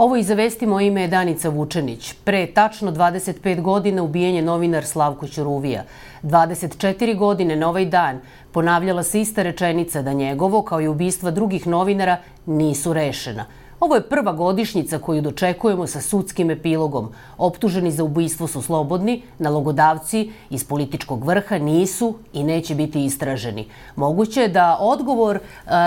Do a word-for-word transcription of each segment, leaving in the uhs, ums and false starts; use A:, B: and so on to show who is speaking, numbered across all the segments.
A: Ovo iz Vesti, moje ime je Danica Vučenić. Pre tačno dvadeset pet godina ubijen je novinar Slavko Ćuruvija. dvadeset četiri godine na ovaj dan ponavljala se ista rečenica da njegovo, kao i ubistva drugih novinara, nisu rešena. Ovo je prva godišnjica koju dočekujemo sa sudskim epilogom. Optuženi za ubistvo su slobodni, nalogodavci iz političkog vrha nisu i neće biti istraženi. Moguće je da odgovor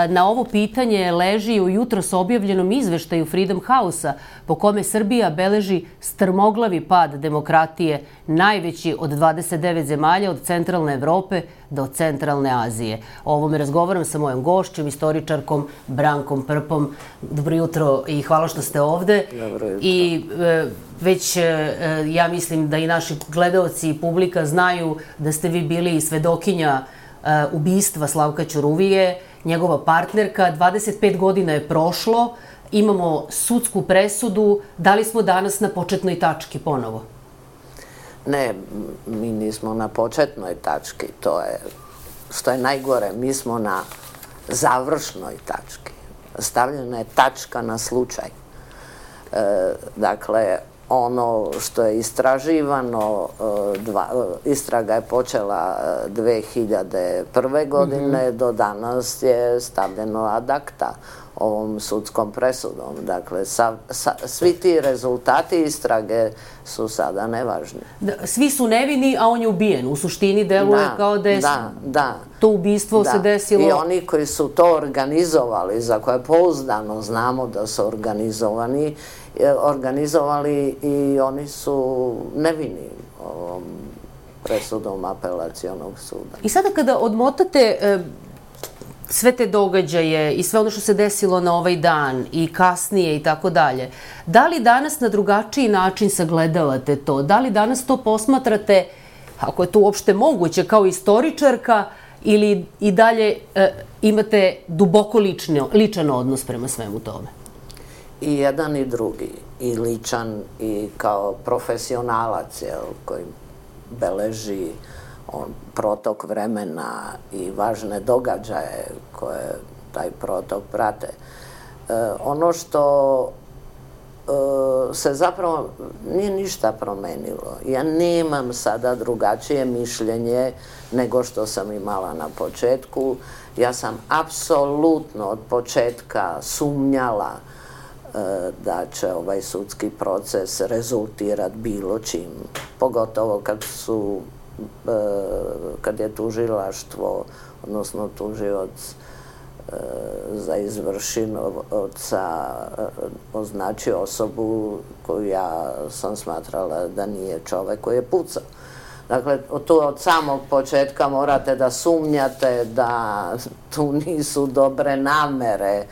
A: na ovo pitanje leži u jutros objavljenom izveštaju Freedom House-a, po kome Srbija beleži strmoglavi pad demokratije, najveći od dvadeset devet zemalja od centralne Evrope do centralne Azije. O ovome razgovaram sa mojom gošćom, istoričarkom Brankom Prpom. Dobro jutro i hvala što ste ovde.
B: Dobro jutro.
A: I e, već e, ja mislim da i naši gledaoci i publika znaju da ste vi bili svedokinja e, ubistva Slavka Ćuruvije, njegova partnerka. dvadeset pet godina je prošlo, imamo sudsku presudu. Da li smo danas na početnoj tački ponovo?
B: Ne, mi nismo na početnoj tački, to je, što je najgore, mi smo na završnoj tački. Stavljena je tačka na slučaj. E, dakle, ono što je istraživano, dva, istraga je počela dve hiljade prve godine, mm-hmm. do danas je stavljeno ad acta ovom sudskom presudom. Dakle, sa, sa, svi ti rezultati istrage su sada nevažni.
A: Da, svi su nevini, a on je ubijen. U suštini deluje
B: da,
A: kao da je
B: da, da,
A: to ubistvo
B: da.
A: se desilo.
B: I oni koji su to organizovali, za koje pouzdano znamo da su organizovani, organizovali i oni su nevini ovom presudom apelacionog suda.
A: I sada kada odmotate e, sve te događaje i sve ono što se desilo na ovaj dan i kasnije i tako dalje, da li danas na drugačiji način sagledavate to? Da li danas to posmatrate, ako je to uopšte moguće, kao istoričarka ili i dalje e, imate duboko lično, ličan odnos prema svemu tome?
B: I jedan i drugi, i ličan i kao profesionalac, jel, koji beleži on, protok vremena i važne događaje koje taj protok prate. E, ono što e, se zapravo nije ništa promenilo. Ja nemam sada drugačije mišljenje nego što sam imala na početku. Ja sam apsolutno od početka sumnjala da će ovaj sudski proces rezultirati bilo čim. Pogotovo kad su, kad je tužilaštvo, odnosno tužioc za izvršioca označio osobu koju ja sam smatrala da nije čovek koji je pucao. Dakle, tu od samog početka morate da sumnjate da tu nisu dobre namere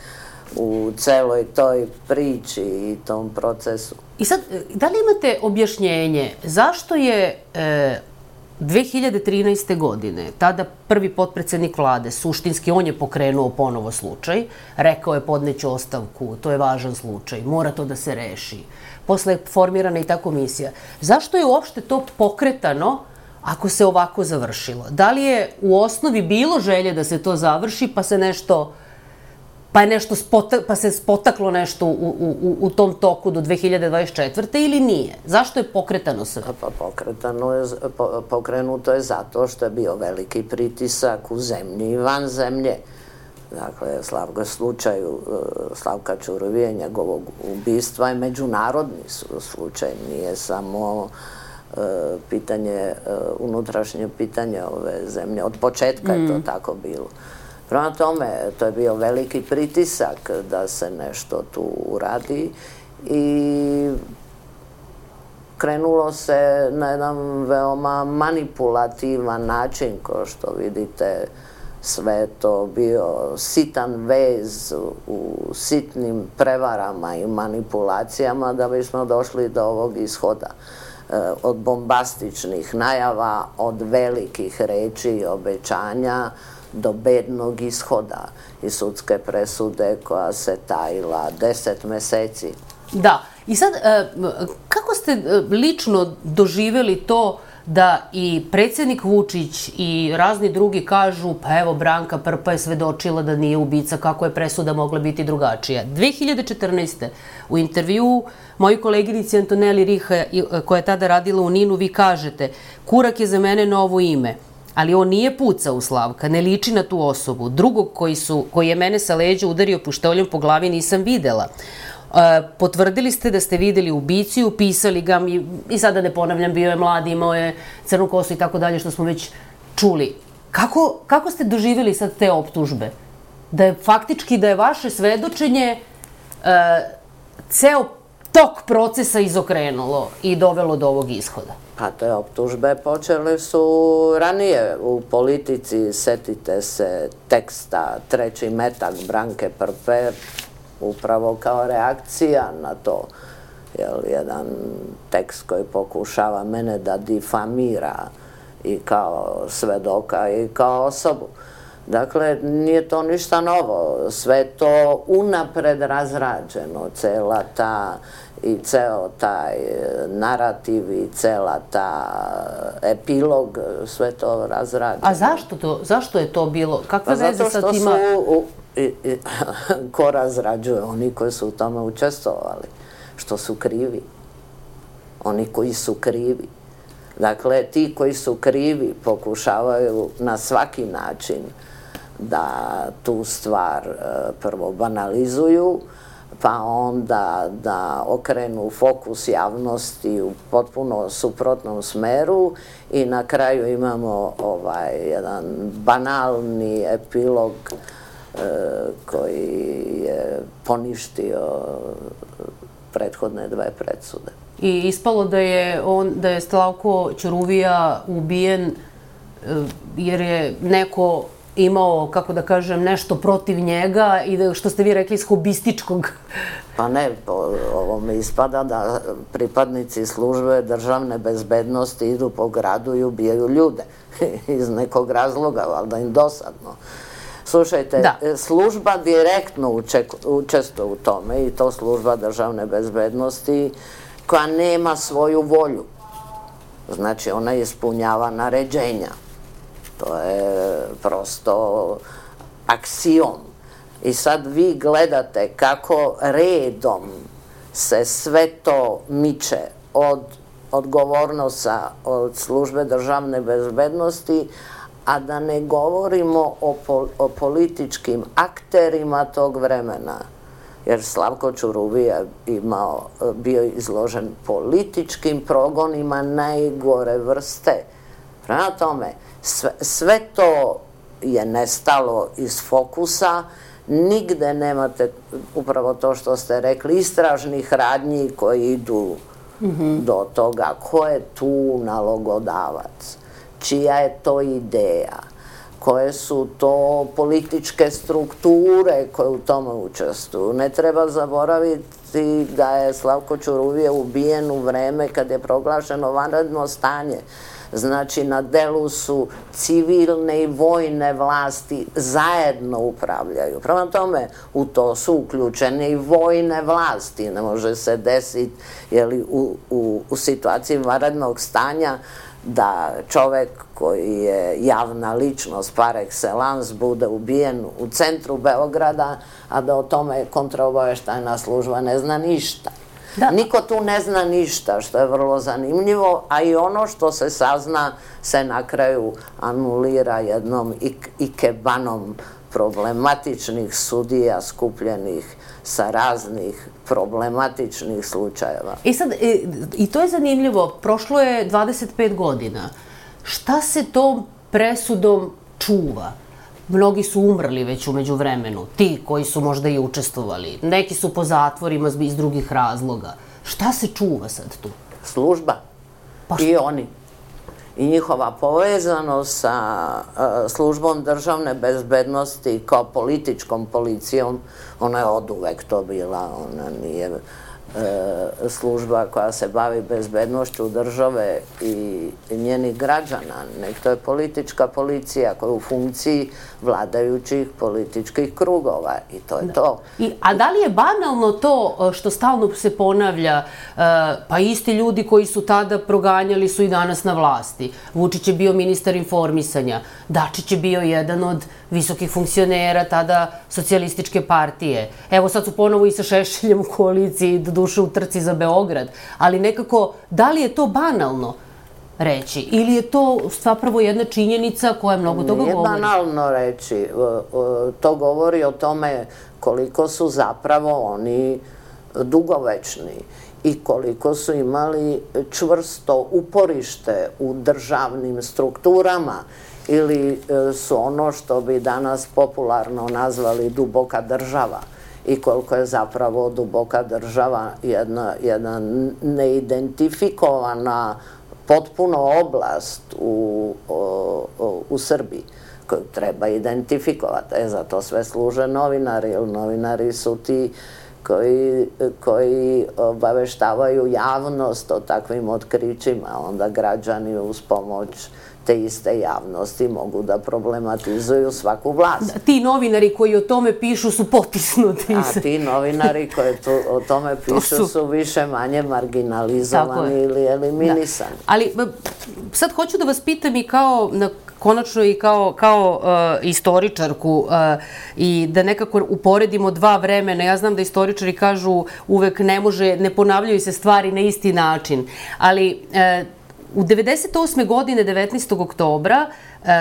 B: u celoj toj priči i tom procesu.
A: I sad, da li imate objašnjenje zašto je e, dve hiljade trinaeste. godine, tada prvi potpredsednik vlade, suštinski on je pokrenuo ponovo slučaj, rekao je podneću ostavku, to je važan slučaj, mora to da se reši. Posle je formirana i ta komisija. Zašto je uopšte to pokretano ako se ovako završilo? Da li je u osnovi bilo želje da se to završi, pa se nešto... pa je nešto spota, pa se spotaklo nešto u, u, u tom toku do dve hiljade dvadeset četvrte. ili nije? Zašto je pokretano sve?
B: Pa pokretano je, po, pokrenuto je zato što je bio veliki pritisak u zemlji i van zemlje. Dakle, Slavko slučaju Slavka Ćuruvije, njegovog ubistva je međunarodni slučaj, nije samo uh, pitanje, uh, unutrašnje pitanje ove zemlje. Od početka mm. je to tako bilo. Prema tome, to je bio veliki pritisak da se nešto tu uradi i krenulo se na jedan veoma manipulativan način, kao što vidite, sve to bio sitan vez u sitnim prevarama i manipulacijama da bismo došli do ovog ishoda. Od bombastičnih najava, od velikih reči i obećanja, do bednog ishoda i sudske presude koja se tajila deset meseci.
A: Da. I sad, kako ste lično doživjeli to da i predsjednik Vučić i razni drugi kažu, pa evo Branka Prpa je svedočila da nije ubica, kako je presuda mogla biti drugačija. dve hiljade četrnaeste. u intervjuu moji koleginici Antoneli Riha, koja je tada radila u Ninu, vi kažete, Kurak je za mene novo ime, ali on nije pucao u Slavka, ne liči na tu osobu. Drugog koji, su, koji je mene sa leđa udario pištoljom po glavi nisam videla. Potvrdili ste da ste videli ubicu i upisali ga, i sada ne ponavljam, bio je mlad, imao je crnu kosu i tako dalje, što smo već čuli. Kako, kako ste doživjeli sad te optužbe? Da je faktički, da je vaše svedočenje uh, ceo tok procesa izokrenulo i dovelo do ovog ishoda?
B: Pa te optužbe počele su ranije u politici, setite se teksta Treći metak Branke Prpe, upravo kao reakcija na to, jel, jedan tekst koji pokušava mene da difamira i kao svedoka i kao osobu. Dakle, nije to ništa novo, sve to unapred razrađeno, cela ta i ceo taj narativ i cela ta epilog, sve to razrađeno.
A: A zašto to, zašto je to bilo? Kakve veze sa tima?
B: Pa zato što su, i, i, ko razrađuje? Oni koji su u tome učestvovali, što su krivi. Oni koji su krivi. Dakle, ti koji su krivi pokušavaju na svaki način da tu stvar prvo banalizuju, pa onda da okrenu fokus javnosti u potpuno suprotnom smeru i na kraju imamo ovaj jedan banalni epilog e, koji je poništio prethodne dve presude.
A: I ispalo da je on, da je Slavko Ćuruvija ubijen jer je neko imao, kako da kažem, nešto protiv njega i da, što ste vi rekli, iz hobističkog.
B: Pa ne, po ovome ispada da pripadnici službe državne bezbednosti idu po gradu i ubijaju ljude. Iz nekog razloga, valjda im dosadno. Slušajte, da. Služba direktno učestvuje u tome i to služba državne bezbednosti koja nema svoju volju. Znači, ona ispunjava naređenja. To je prosto aksiom. I sad vi gledate kako redom se sve to miče od odgovornosti od službe državne bezbednosti, a da ne govorimo o, pol, o političkim akterima tog vremena. Jer Slavko Ćuruvija imao, bio izložen političkim progonima najgore vrste. Prema tome, sve, sve to je nestalo iz fokusa, nigde nemate upravo to što ste rekli, istražnih radnji koji idu mm-hmm. do toga ko je tu nalogodavac, čija je to ideja, koje su to političke strukture koje u tome učestvuju. Ne treba zaboraviti da je Slavko Ćuruvija ubijen u vreme kad je proglašeno vanredno stanje. Znači, na delu su civilne i vojne vlasti zajedno upravljaju. Prema tome, u to su uključene i vojne vlasti. Ne može se desiti jeli, u, u, u situaciji vanrednog stanja da čovek koji je javna ličnost par excellence bude ubijen u centru Beograda, a da o tome kontraobaveštajna služba ne zna ništa. Da. Niko tu ne zna ništa, što je vrlo zanimljivo, a i ono što se sazna se na kraju anulira jednom ikebanom problematičnih sudija skupljenih sa raznih problematičnih slučajeva.
A: I sad, i to je zanimljivo, prošlo je dvadeset pet godina. Šta se tom presudom čuva? Mnogi su umrli već umeđu vremenu, ti koji su možda i učestvovali. Neki su po zatvorima iz drugih razloga. Šta se čuva sad tu?
B: Služba. Pa i oni. I njihova povezanost sa uh, službom državne bezbednosti kao političkom policijom, ona je oduvek to bila, ona nije uh, služba koja se bavi bezbednošću države i njenih građana, nek to je politička policija koja je u funkciji vladajućih političkih krugova i to je to.
A: A da li je banalno to što stalno se ponavlja, pa isti ljudi koji su tada proganjali su i danas na vlasti? Vučić je bio ministar informisanja, Dačić je bio jedan od visokih funkcionera tada socijalističke partije. Evo sad su ponovo i sa Šešeljem u koaliciji, do duše u trci za Beograd, ali nekako, da li je to banalno reći ili je to zapravo jedna činjenica koja mnogo toga govori?
B: Nije banalno reći, to govori o tome koliko su zapravo oni dugovečni i koliko su imali čvrsto uporište u državnim strukturama ili su ono što bi danas popularno nazvali duboka država i koliko je zapravo duboka država jedna, jedna neidentifikovana potpuno oblast u, u, u Srbiji koju treba identifikovati. E, zato sve služe novinari, jer novinari su ti koji, koji obaveštavaju javnost o takvim otkrićima, onda građani uz pomoć te iste javnosti mogu da problematizuju svaku vlast.
A: Ti novinari koji o tome pišu su potisnuti.
B: A ti novinari koji o tome pišu su više manje marginalizovani ili eliminisani.
A: Ali sad hoću da vas pitam i kao konačno i kao, kao uh, istoričarku uh, i da nekako uporedimo dva vremena. Ja znam da istoričari kažu uvek ne može, ne ponavljaju se stvari na isti način, ali uh, u devedeset osme godine, devetnaestog oktobra,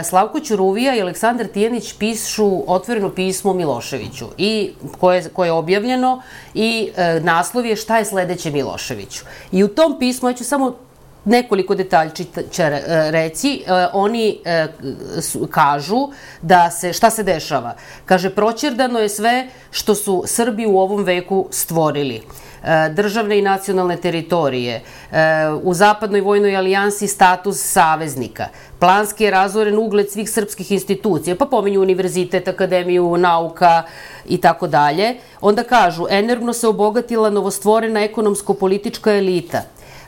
A: Slavko Ćuruvija i Aleksandar Tijanić pišu otvoreno pismo Miloševiću, i koje, koje je objavljeno i e, naslov je Šta je sledeće Miloševiću. I u tom pismu, ja ću samo nekoliko detaljčića reći, oni kažu da se, šta se dešava. Kaže, proćerdano je sve što su Srbi u ovom veku stvorili. Državne i nacionalne teritorije, u zapadnoj vojnoj alijansi status saveznika, planski je razoren ugled svih srpskih institucija, pa pominju univerzitet, akademiju nauka i tako dalje. Onda kažu, enormno se obogatila novostvorena ekonomsko-politička elita.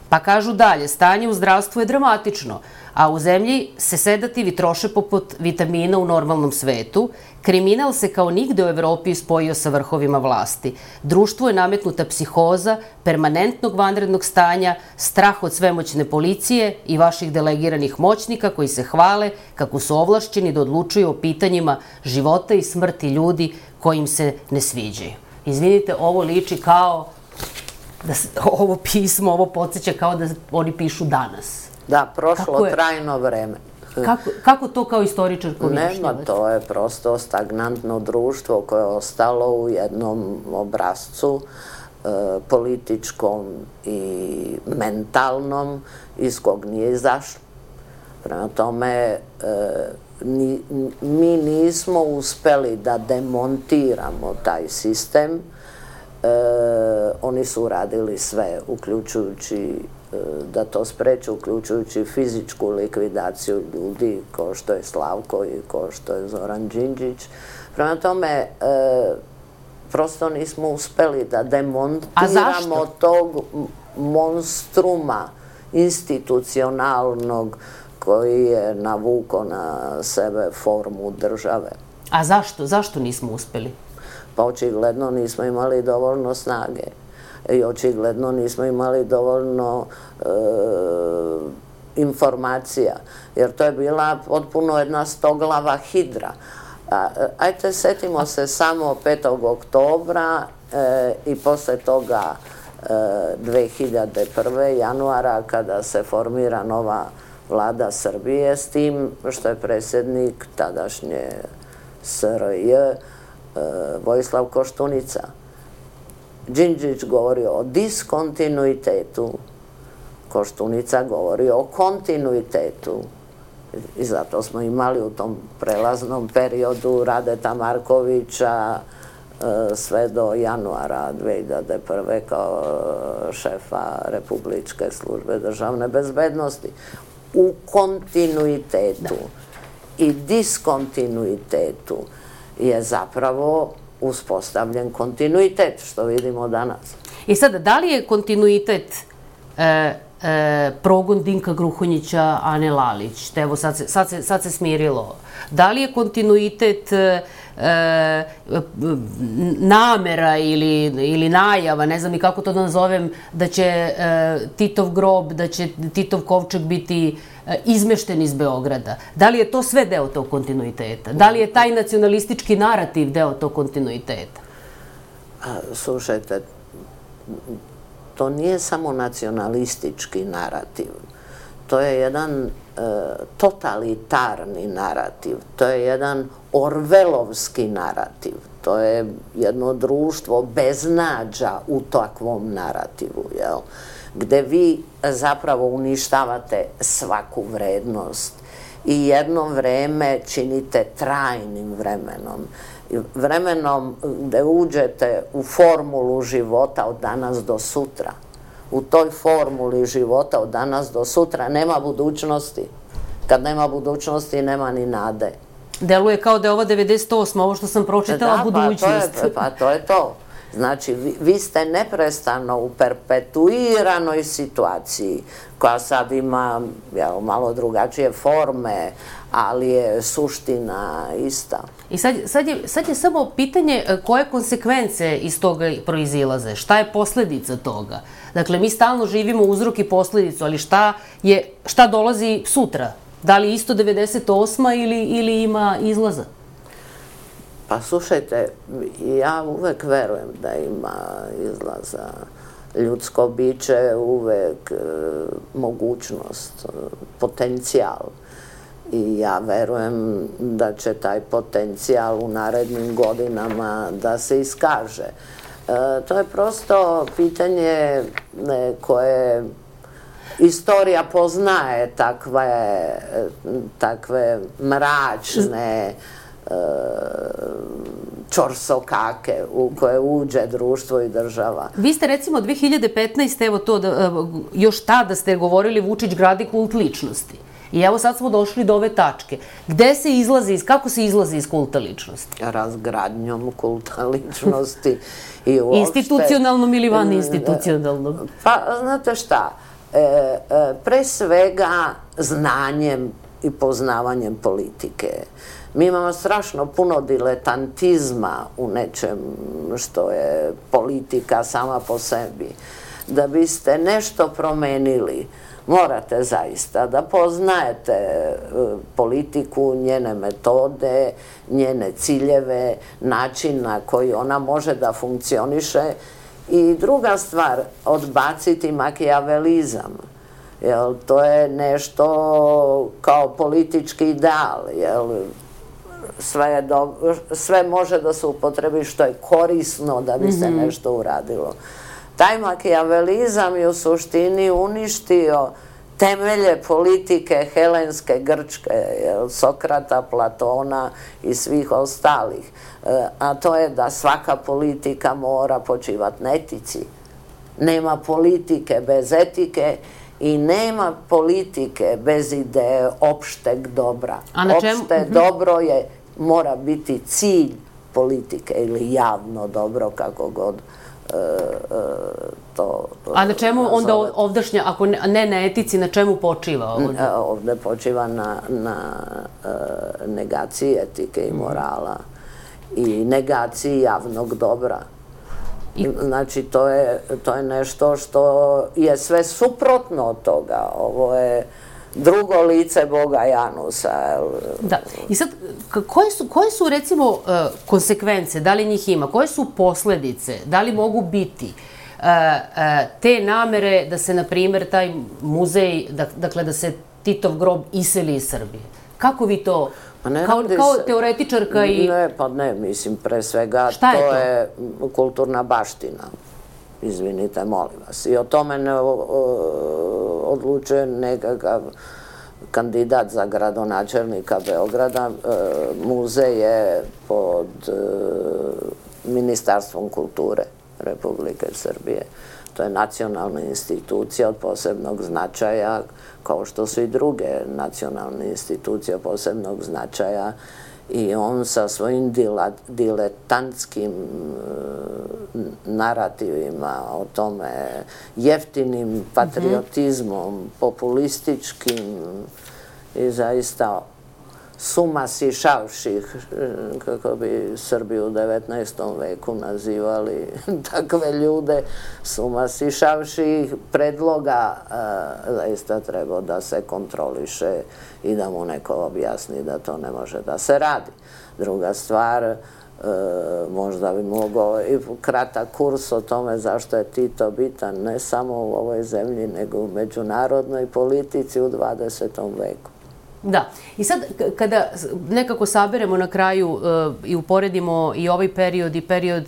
A: Pa kažu dalje, stanje u zdravstvu je dramatično, a u zemlji se sedativi troše poput vitamina u normalnom svetu, kriminal se kao nigde u Evropi spojio sa vrhovima vlasti. Društvu je nametnuta psihoza, permanentnog vanrednog stanja, strah od svemoćne policije i vaših delegiranih moćnika koji se hvale kako su ovlašćeni da odlučuju o pitanjima života i smrti ljudi koji im se ne sviđaju. Izvinite, ovo liči kao da ovo pismo, ovo podsjeća kao da oni pišu danas.
B: Da, prošlo trajno vreme.
A: Kako, kako to kao istoričarko objašnjavate?
B: Nema, to je prosto stagnantno društvo koje je ostalo u jednom obrazcu e, političkom i mentalnom iz kog nije izašlo. Prema tome, e, ni, mi nismo uspeli da demontiramo taj sistem. E, oni su uradili sve, uključujući da to spreče, uključujući fizičku likvidaciju ljudi kao što je Slavko i kao što je Zoran Đinđić. Prema tome, e, prosto nismo uspeli da demontiramo tog monstruma institucionalnog koji je navukao na sebe formu države.
A: A zašto? Zašto nismo uspeli?
B: Pa očigledno nismo imali dovoljno snage. I očigledno nismo imali dovoljno e, informacija, jer to je bila potpuno jedna stoglava hidra. A, ajte, setimo se samo petog oktobra e, i posle toga e, dve hiljade prve. januara kada se formira nova vlada Srbije, s tim što je predsjednik tadašnje S R J e, Vojislav Koštunica. Đinđić govori o diskontinuitetu, Koštunica govori o kontinuitetu. I zato smo imali u tom prelaznom periodu Radeta Markovića sve do januara dve hiljade prve. kao šefa Republičke službe državne bezbednosti. U kontinuitetu i diskontinuitetu je zapravo uspostavljen kontinuitet, što vidimo danas.
A: I sada, da li je kontinuitet e, e, progon Dinka Gruhonjića, Ane Lalić? Te evo, sad se, sad, se, sad se smirilo. Da li je kontinuitet e, e, namera ili, ili najava, ne znam ni kako to da nazovem, da će e, Titov grob, da će Titov kovčeg biti e, izmešten iz Beograda? Da li je to sve deo tog kontinuiteta? Da li je taj nacionalistički narativ deo tog kontinuiteta?
B: Slušajte, to nije samo nacionalistički narativ. To je jedan e, totalitarni narativ. To je jedan orvelovski narativ. To je jedno društvo beznađa u takvom narativu, jel? Gde vi zapravo uništavate svaku vrednost i jedno vreme činite trajnim vremenom. Vremenom gde uđete u formulu života od danas do sutra. U toj formuli života od danas do sutra nema budućnosti. Kad nema budućnosti, nema ni nade.
A: Deluje kao da je ova devedeset osma, ovo što sam pročitala, budućnost.
B: Da, pa to je to. Znači, vi, vi ste neprestano u perpetuiranoj situaciji, koja sad ima jel, malo drugačije forme, ali je suština ista.
A: I sad, sad, je, sad je samo pitanje koje konsekvence iz toga proizilaze, šta je posledica toga. Dakle, mi stalno živimo uzrok i posledicu, ali šta, je, šta dolazi sutra? Da li isto devedeset osma ili, ili ima izlaza?
B: Pa slušajte, ja uvek verujem da ima izlaza. Ljudsko biće uvek e, mogućnost, potencijal. I ja verujem da će taj potencijal u narednim godinama da se iskaže. E, to je prosto pitanje ne, koje istorija poznaje takve, takve mračne čorsokake u koje uđe društvo i država.
A: Vi ste recimo dve hiljade petnaeste. evo to, da, još tada ste govorili Vučić gradi kult ličnosti. I evo sad smo došli do ove tačke. Gde se izlazi, kako se izlazi iz kulta ličnosti?
B: Razgradnjom kulta ličnosti i uopšte...
A: Institucionalnom ili van institucionalnom?
B: Pa, znate šta, e, e, pre svega znanjem i poznavanjem politike. Mi imamo strašno puno diletantizma u nečem što je politika sama po sebi. Da biste nešto promenili, morate zaista da poznajete politiku, njene metode, njene ciljeve, način na koji ona može da funkcioniše. I druga stvar, odbaciti makijavelizam. Jel, to je nešto kao politički ideal, jel, sve, je do, sve može da se upotrebi što je korisno da bi se nešto uradilo. Taj makijavelizam je u suštini uništio temelje politike helenske Grčke, jel, Sokrata, Platona i svih ostalih. E, a to je da svaka politika mora počivati na etici. Nema politike bez etike i nema politike bez ideje opšteg dobra. Opšte dobro je, mora biti cilj politike ili javno dobro, kako god e, e, to
A: A na čemu onda ovdašnja, ako ne na etici, na čemu počiva ovdje?
B: Ovdje počiva na, na e, negaciji etike i morala i negaciji javnog dobra. Znači, to je, to je nešto što je sve suprotno od toga. Ovo je drugo lice Boga Janusa.
A: Da. I sad, koje su, koje su recimo konsekvence, da li njih ima, koje su posledice, da li mogu biti te namere da se, na primjer, taj muzej, dakle, da se Titov grob iseli iz Srbije? Kako vi to... Kao, kao teoretičarka i...
B: Ne, pa ne, mislim, pre svega to je kulturna baština. Izvinite, molim vas. I o tome ne odlučuje nekakav kandidat za gradonačelnika Beograda. Muzej je pod Ministarstvom kulture Republike Srbije. To je nacionalna institucija od posebnog značaja, kao što su i druge nacionalne institucije od posebnog značaja I on sa svojim diletantskim narativima o tome, jeftinim patriotizmom, populističkim i zaista suma sišavših, kako bi Srbi u devetnaestom veku nazivali takve ljude, suma sišavših predloga zaista treba da se kontroliše i da mu neko objasni da to ne može da se radi. Druga stvar, možda bi mogao i kratak kurs o tome zašto je Tito bitan ne samo u ovoj zemlji, nego u međunarodnoj politici u dvadesetom veku.
A: Da. I sad, kada nekako saberemo na kraju i uporedimo i ovaj period i period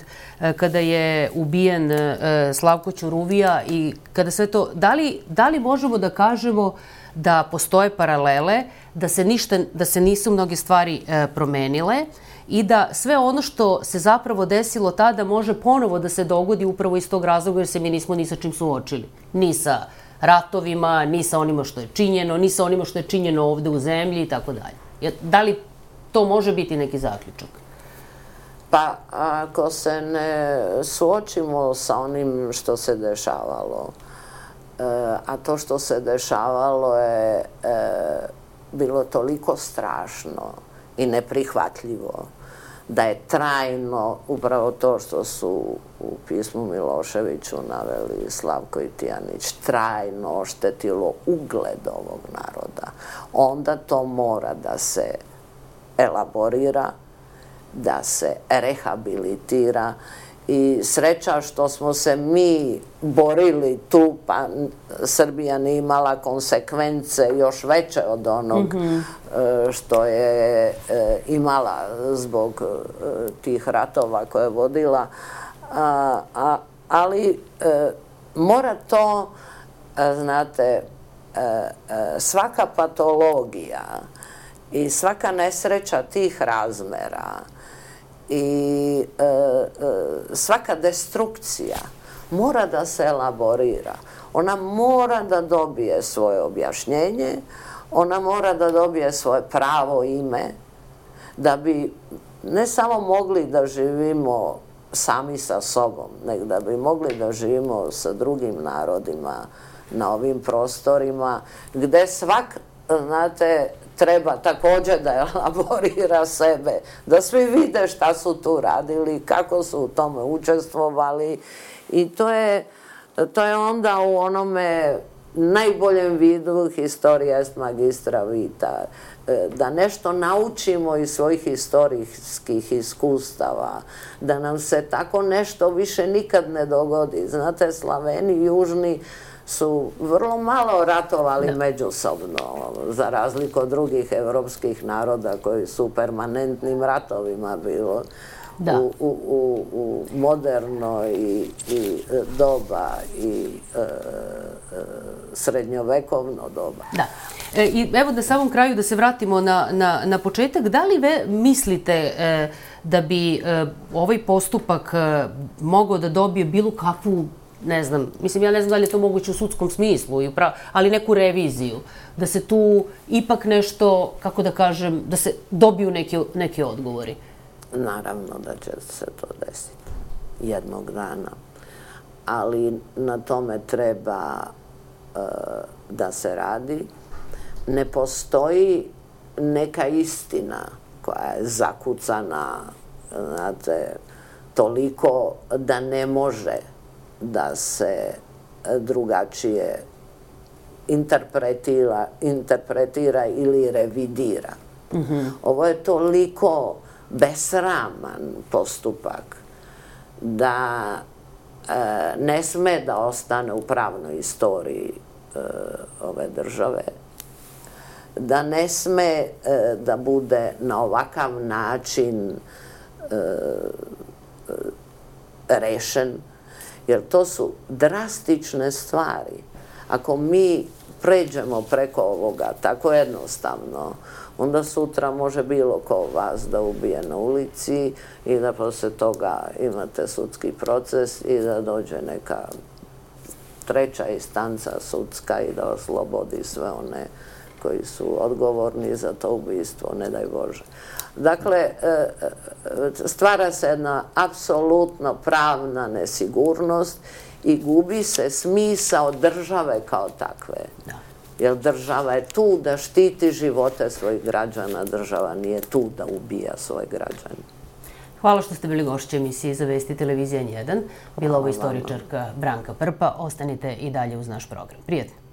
A: kada je ubijen Slavko Ćuruvija i kada sve to, da li možemo da kažemo da postoje paralele, da se ništa, da se nisu mnoge stvari promenile i da sve ono što se zapravo desilo tada može ponovo da se dogodi upravo iz tog razloga jer se mi nismo ni sa čim suočili. Ni sa ratovima, ni sa onima što je činjeno, ni sa onima što je činjeno ovde u zemlji i tako dalje. Da li to može biti neki zaključak?
B: Pa, ako se ne suočimo sa onim što se dešavalo, a to što se dešavalo je bilo toliko strašno i neprihvatljivo, da je trajno upravo to što su u pismu Miloševiću naveli Slavko i Tijanić, trajno oštetilo ugled ovog naroda. Onda to mora da se elaborira, da se rehabilitira i sreća što smo se mi borili tu, pa Srbija nije imala konsekvence još veće od onog što je imala zbog tih ratova koje je vodila, ali mora to, znate, svaka patologija i svaka nesreća tih razmera i svaka destrukcija mora da se elaborira. Ona mora da dobije svoje objašnjenje, ona mora da dobije svoje pravo ime, da bi ne samo mogli da živimo sami sa sobom, nego da bi mogli da živimo sa drugim narodima na ovim prostorima, gde svak, znate, treba također da elaborira sebe, da svi vide šta su tu radili, kako su u tome učestvovali i to je, to je onda u onome najboljem vidu historia est magistra vita, da nešto naučimo iz svojih historijskih iskustava, da nam se tako nešto više nikad ne dogodi. Znate, Slaveni južni su vrlo malo ratovali međusobno, za razliku od drugih evropskih naroda koji su u permanentnim ratovima bilo u moderno i doba i srednjovekovno doba.
A: Da. I evo na samom kraju da se vratimo na početak. Da li vi mislite da bi ovaj postupak mogao da dobije bilo kakvu, ne znam, mislim, ja ne znam da li je to moguće u sudskom smislu, ali neku reviziju, da se tu ipak nešto, kako da kažem, da se dobiju neki odgovori?
B: Naravno da će se to desiti jednog dana, ali na tome treba da se radi. Ne postoji neka istina koja je zakucana, znate, toliko da ne može da se drugačije interpretira ili revidira. Ovo je toliko besraman postupak da ne sme da ostane u pravnoj istoriji ove države, da ne sme da bude na ovakav način rešen, jer to su drastične stvari. Ako mi pređemo preko ovoga tako jednostavno, onda sutra može bilo ko vas da ubije na ulici i da posle toga imate sudski proces i da dođe neka treća instanca sudska i da oslobodi sve one koji su odgovorni za to ubistvo, ne daj Bože. Dakle, stvara se jedna apsolutno pravna nesigurnost i gubi se smisao države kao takve. Jer država je tu da štiti živote svojih građana, država nije tu da ubija svoje građane.
A: Hvala što ste bili gošće emisije za Vesti televizije N jedan. Bila ovo istoričarka Branka Prpa. Ostanite i dalje uz naš program. Prijetno.